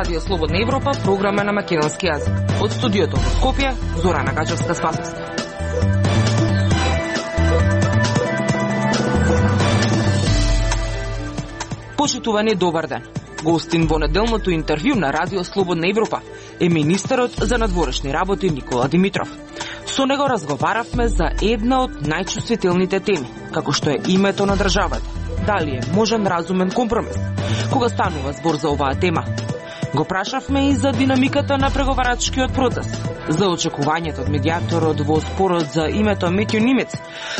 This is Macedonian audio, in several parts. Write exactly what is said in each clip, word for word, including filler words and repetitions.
Радио Слободна Европа, програма на македонски јазик. Од студиото во Скопје, Зорана Гачевска-Спасовска. Почитувани, добар ден. Гостин во неделното интервју на Радио Слободна Европа е министерот за надворешни работи Никола Димитров. Со него разговаравме за една од најчувствителните теми, како што е името на државата. Дали е можен разумен компромис? Кога станува збор за оваа тема? Го прашавме и за динамиката на преговарачкиот процес, за очекувањето од медиаторот во спорот за името Метју Нимец,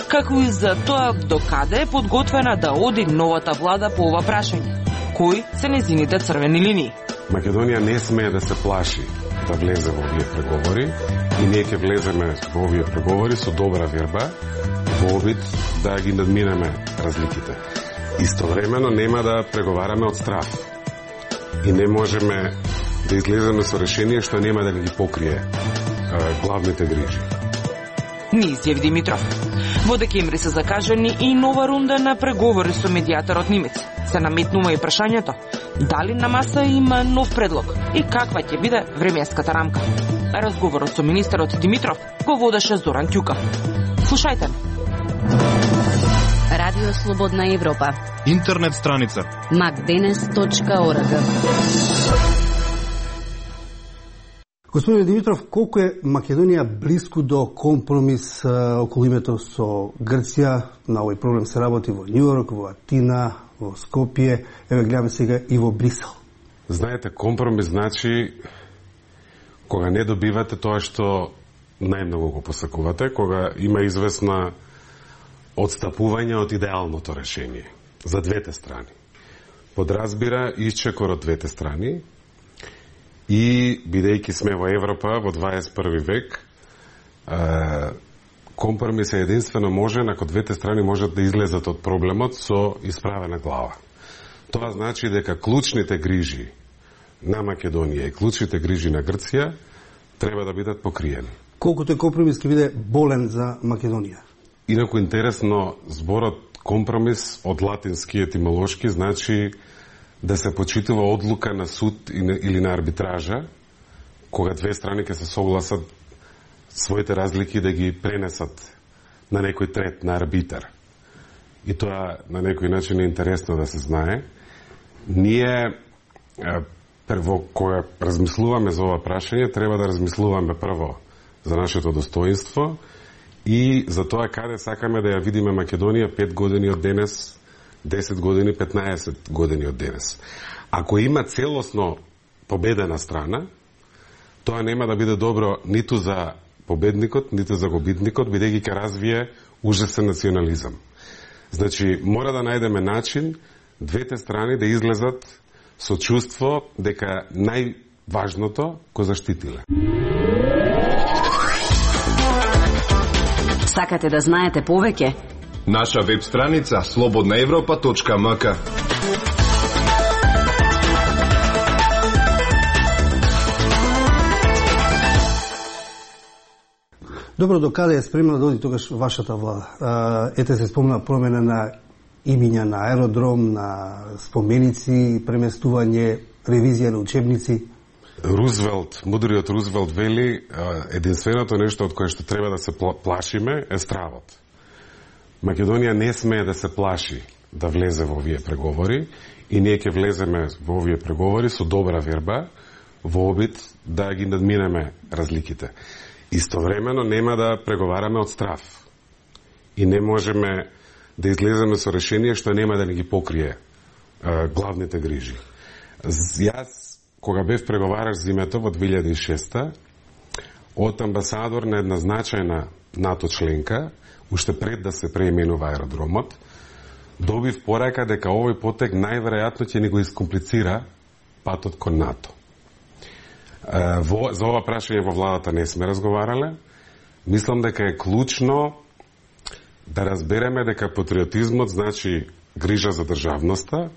како и за тоа докаде е подготвена да оди новата влада по ова прашање. Кои се незините црвени линии? Македонија не смее да се плаши да влезе во овие преговори и ние ќе влеземе во овие преговори со добра верба, во обид да ги надминеме разликите. Истовремено нема да преговараме од страф. И не можеме да излеземе со решение што нема да ни ги покрие е, главните грижи. Ни изјави Димитров. Во декември се закажани и нова рунда на преговори со медиаторот Нимец. Се наметнува и прашањето дали на маса има нов предлог и каква ќе биде временската рамка. Разговорот со министерот Димитров го водеше Зоран Ќука. Слушајте. Радио Слободна Европа. Интернет страница макденес точка орг. Господин Димитров, колку е Македонија близко до компромис а, околу името со Грција? На овој проблем се работи во Њујорк, во Атина, во Скопје, еве гледаме сега и во Брисел. Знаете, компромис значи кога не добивате тоа што најмногу го посакувате, кога има известна одстапување од идеалното решение за двете страни. Подразбира исчекор од двете страни и, бидејќи сме во Европа во дваесет и први век, е, компромис е единствено можен ако двете страни можат да излезат од проблемот со исправена глава. Тоа значи дека клучните грижи на Македонија и клучните грижи на Грција треба да бидат покриени. Колкото е компромис ќе биде болен за Македонија? Инаку интересно, зборот компромис од латински етимолошки значи да се почитува одлука на суд или на арбитража, кога две страни ќе се согласат своите разлики да ги пренесат на некој трет, на арбитар. И тоа на некој начин е интересно да се знае. Ние, прво, кога размислуваме за ова прашање, треба да размислуваме прво за нашето достоинство и за тоа каде сакаме да ја видиме Македонија пет години од денес, десет години, петнаесет години од денес. Ако има целосно победена страна, тоа нема да биде добро ниту за победникот, ниту за губитникот, бидејќи ќе развие ужасен национализам. Значи, мора да најдеме начин двете страни да излезат со чувство дека најважното го заштитиле. Сакате да знаете повеќе? Наша веб страница слободна европа точка ем ка. Добро, докаде е спремна да оди тогаш вашата влада? Ете се спомна промена на имиња на аеродром, на споменици, преместување, ревизија на учебници. Рузвелт, мудриот Рузвелт вели, единственото нешто од кое што треба да се плашиме е стравот. Македонија не смее да се плаши да влезе во овие преговори и ние ќе влеземе во овие преговори со добра верба, во обид да ги надминеме разликите. Истовремено нема да преговараме од страф и не можеме да излеземе со решение што нема да ни ги покрие е, главните грижи. Јас, кога бев преговараш зимето во две илјади и шеста, од амбасадор на една значајна НАТО членка, уште пред да се преименува аеродромот, добив порака дека овој потек најверојатно ќе ни го искомплицира патот кон НАТО. Во, за ова прашање во владата не сме разговарале. Мислам дека е клучно да разбереме дека патриотизмот значи грижа за државноста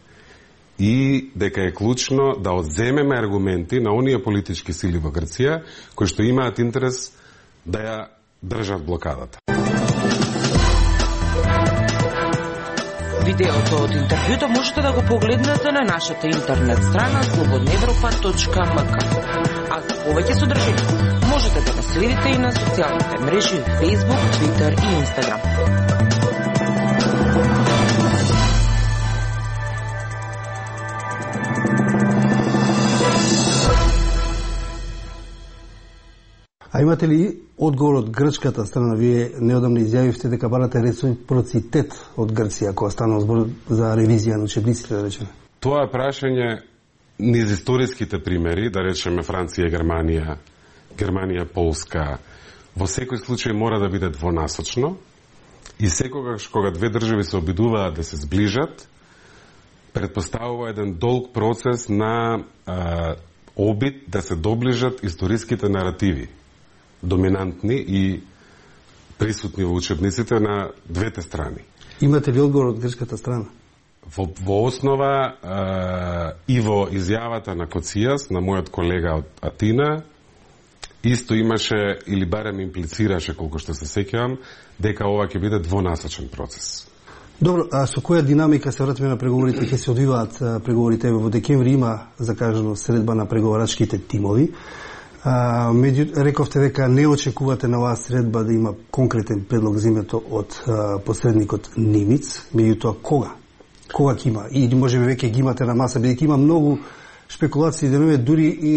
и дека е клучно да одземеме аргументи на оние политички сили во Грција кои што имаат интерес да ја држат блокадата. Видеото од интервјуто можете да го погледнете на нашата интернет страна слободна европа точка ем ка. А за повеќе содржина можете да нас следите и на социјалните мрежи Facebook, Twitter и Instagram. А имате ли одговор од грчката страна? Вие неодамна изјавивте дека барате реципроцитет од Грција кога станува збор за ревизија на учебниците, да речеме. Тоа е прашање низ историските примери, да речеме Франција, Германија, Германија, Полска. Во секој случај мора да биде двонасочно и секогаш кога две држави се обидуваат да се сближат, предпоставува еден долг процес на а, обид да се доближат историските наративи, доминантни и присутни во учебниците на двете страни. Имате ли одговор од грчката страна? Во, во основа е, и во изјавата на Коцијас, на мојот колега од Атина, исто имаше, или барем имплицираше, колку што се сеќавам, дека ова ќе биде двонасочен процес. Добро, а со која динамика се вратиме на преговорите, ќе се одвиваат преговорите? Во декември има закажано средба на преговарачките тимови. А, меѓу, рековте дека не очекувате на оваа средба да има конкретен предлог за името од а, посредникот Нимиц. Меѓутоа, кога? Кога ќе има? Или можеби веќе ги имате на маса, бидејќи има многу шпекулации денове, дури и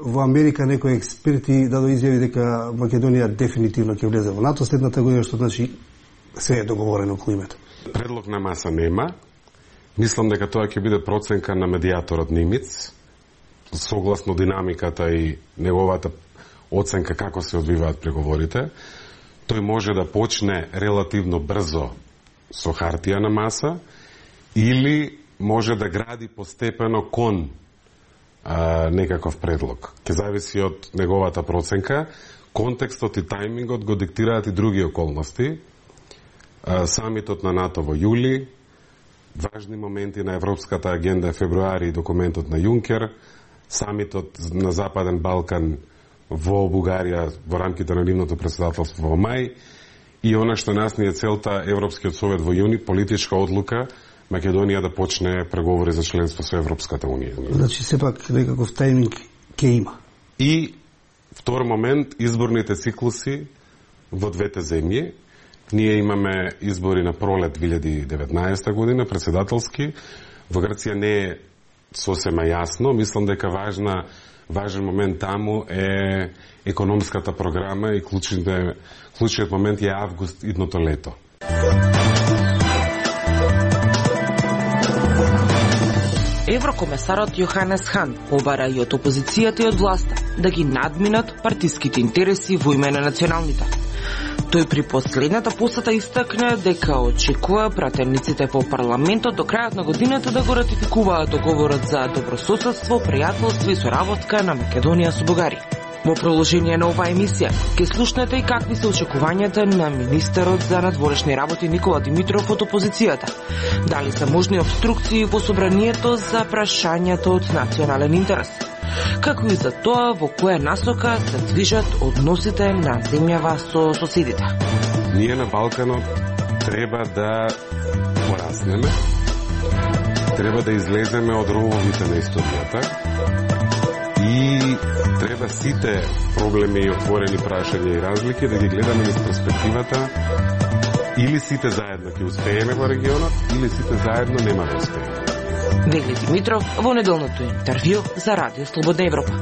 во Америка некои експерти дадо изјави дека Македонија дефинитивно ќе влезе во НАТО следната година, што значи се е договорено околу името. Предлог на маса нема. Мислам дека тоа ќе биде проценка на медијаторот Нимиц, согласно динамиката и неговата оценка како се одвиваат преговорите. Тој може да почне релативно брзо со хартија на маса или може да гради постепено кон а, некаков предлог. Ке зависи од неговата проценка. Контекстот и тајмингот го диктираат и други околности. А, самитот на НАТО во јули, важни моменти на Европската агенда февруари и документот на Јункер, самитот на Западен Балкан во Бугарија во рамките на нивното претседателство во мај и она што нас ни е целта Европскиот совет во јуни, политичка одлука Македонија да почне преговори за членство со Европската унија. Значи сепак некаков тајминг ќе има. И втор момент, изборните циклуси во двете земји. Ние имаме избори на пролет две илјади и деветнаесета година, председателски. Во Грција не е сосема јасно. Мислам дека важна, важен момент таму е економската програма и клучниот, клучниот момент е август идното лето. Еврокомесарот Јоханес Хан побара и од опозицијата и од власта да ги надминат партиските интереси во име на националните. Тој при последната посета истакна дека очекува пратениците по парламентот до крајот на годината да го ратификуваат договорот за добрососедство, пријателство и соработка на Македонија со Бугарија. Во продолжение на оваа емисија ќе слушнете и какви се очекувањата на министерот за надворешни работи Никола Димитров од опозицијата. Дали се можни обструкции во собранието за прашањето од национален интерес? Како и за тоа во која насока се движат односите на земјава со соседите. Ние на Балканот треба да пораснеме, треба да излеземе од рововите на историјата и треба сите проблеми и отворени прашања и разлики да ги гледаме низ перспективата или сите заедно ќе успееме во регионот, или сите заедно нема да успееме. Вели Димитров во неделното интервју за Радио Слободна Европа.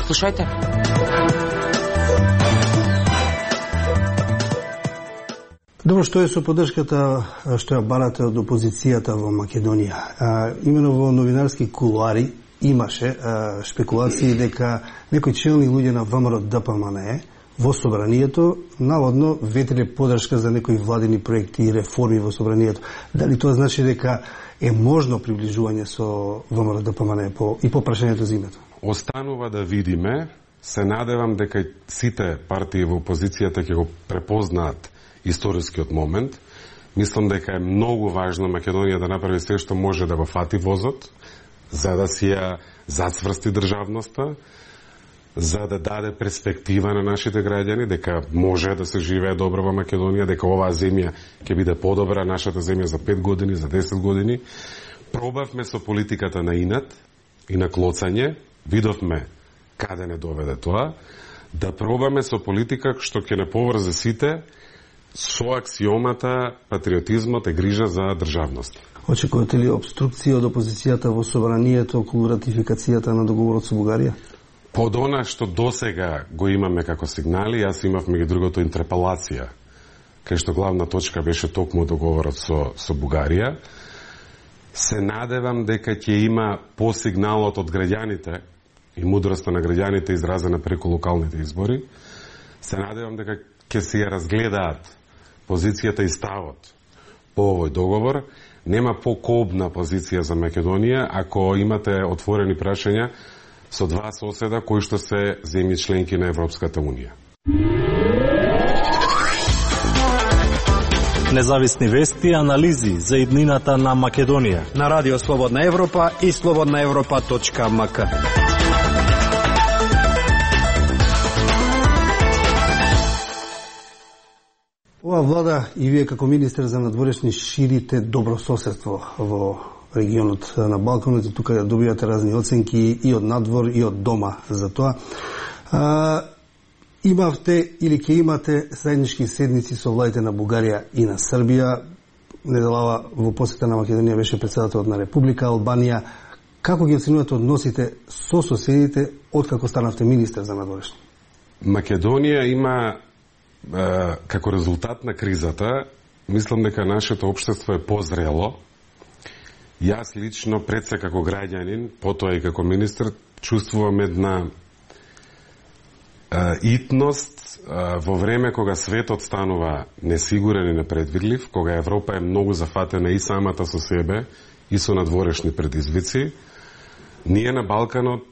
Слушајте. Добро, што е со поддршката што ја барате од опозицијата во Македонија? А, имено во новинарски кулуари имаше а, шпекулации дека некои челни луѓе на ВМРО Д П М Н Е во собранието наводно ветеле поддршка за некои владини проекти и реформи во собранието. Дали тоа значи дека е можно приближување со ВМРО Д П М Н Е по, и по прашањето за името? Останува да видиме. Се надевам дека сите партии во опозицијата ќе го препознаат историскиот момент. Мислам дека е многу важно Македонија да направи се што може да го фати возот, за да си ја зацврсти државноста, за да даде перспектива на нашите граѓани, дека може да се живее добро во Македонија, дека оваа земја ќе биде подобра, нашата земја за пет години, за десет години. Пробавме со политиката на инат и на клоцање, видовме каде не доведе тоа, да пробаме со политика што ќе не поврзе сите со аксиомата патриотизмот е грижа за државност. Очекувате ли обструкција од опозицијата во собранието околу ратификацијата на договорот со Бугарија? Под она што досега го имаме како сигнали, јас имав меѓу другото интерпелација, кај што главна точка беше токму договорот со, со Бугарија. Се надевам дека ќе има по сигналот од граѓаните и мудроста на граѓаните изразена преку локалните избори. Се надевам дека ќе се ја разгледаат позицијата и ставот по овој договор. Нема покобна позиција за Македонија ако имате отворени прашања со два соседа кои што се земји членки на Европската Унија. Независни вести и анализи за иднината на Македонија на Радио Слободна Европа и слободна европа точка ем ка. Ова влада и вие како министер за надворешни ширите добрососедство во регионот на Балканот и тука добивате разни оценки и од надвор и од дома за тоа. А, имавте или ќе имате заеднички седници со владите на Бугарија и на Србија. Неделава во посета на Македонија беше председателот на Република Албанија. Како ги оценувате односите со соседите откако станавте министер за надворешни? Македонија има како резултат на кризата, мислам дека нашето општество е позрело. Јас лично пред се како граѓанин, потоа и како министр, чувствувам една а, итност а, во време кога светот станува несигурен и непредвидлив, кога Европа е многу зафатена и самата со себе и со надворешни предизвици. Ние на Балканот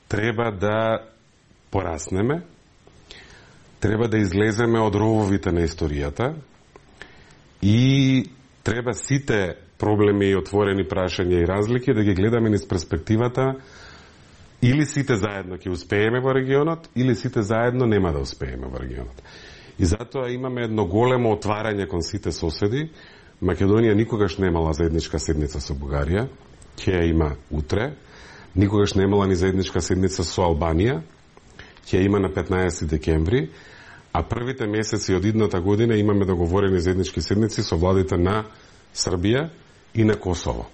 треба да пораснеме, треба да излеземе од рововите на историјата и треба сите проблеми и отворени прашања и разлики да ги гледаме низ перспективата или сите заедно ќе успееме во регионот, или сите заедно нема да успееме во регионот. И затоа имаме едно големо отварање кон сите соседи. Македонија никогаш немала заедничка седница со Бугарија, ќе ја има утре. Никогаш немала ни заедничка седница со Албанија, ќе има на петнаесети декември, а првите месеци од идната година имаме договорени заеднички седници со владите на Србија и на Косово.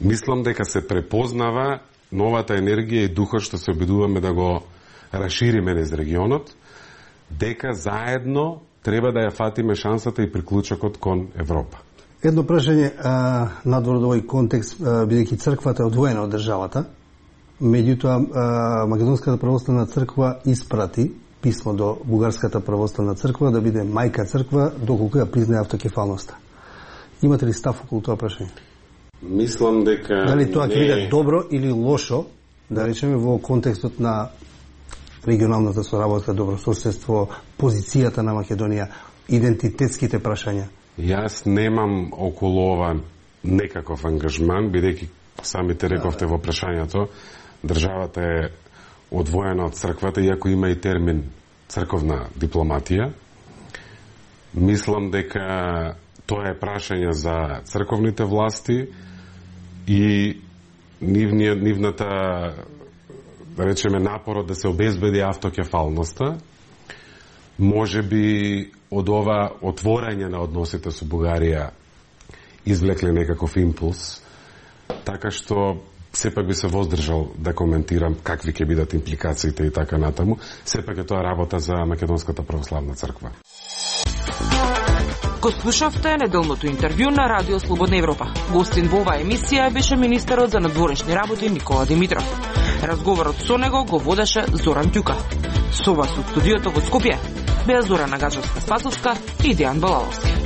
Мислам дека се препознава новата енергија и духот што се обидуваме да го расшириме низ регионот, дека заедно треба да ја фатиме шансата и приклучокот кон Европа. Едно прашање а, надвор од овој контекст, бидејќи црквата е одвоена од државата, меѓутоа Македонската православна црква испрати писмо до Бугарската православна црква да биде мајка црква доколку ја признае автокефалноста. Имате ли став околу тоа прашање? Мислам дека дали тоа ќе не... биде добро или лошо, да речеме во контекстот на регионалната соработка, добрососедство, позицијата на Македонија, идентитетските прашања? Јас немам околу ова некаков ангажман, бидејќи самите рековте во прашањето, државата е одвоена од црквата, иако има и термин црковна дипломатија. Мислам дека тоа е прашање за црковните власти и нивниот, нивната, да речеме, напорот да се обезбеди автокефалноста. Може би од ова отворање на односите со Бугарија извлекле некаков импулс, така што сепак би се воздржал да коментирам какви ќе бидат импликациите и така натаму. Сепак е тоа работа за Македонската православна црква. Го слушавте неделното интервју на Радио Слободна Европа. Гостин во оваа емисија беше министерот за надворешни работи Никола Димитров. Разговорот со него го водеше Зоран Ѓука. Со вас од студиото во Скопје беа Зорана Гаджевска-Спасовска и Дејан Балаловски.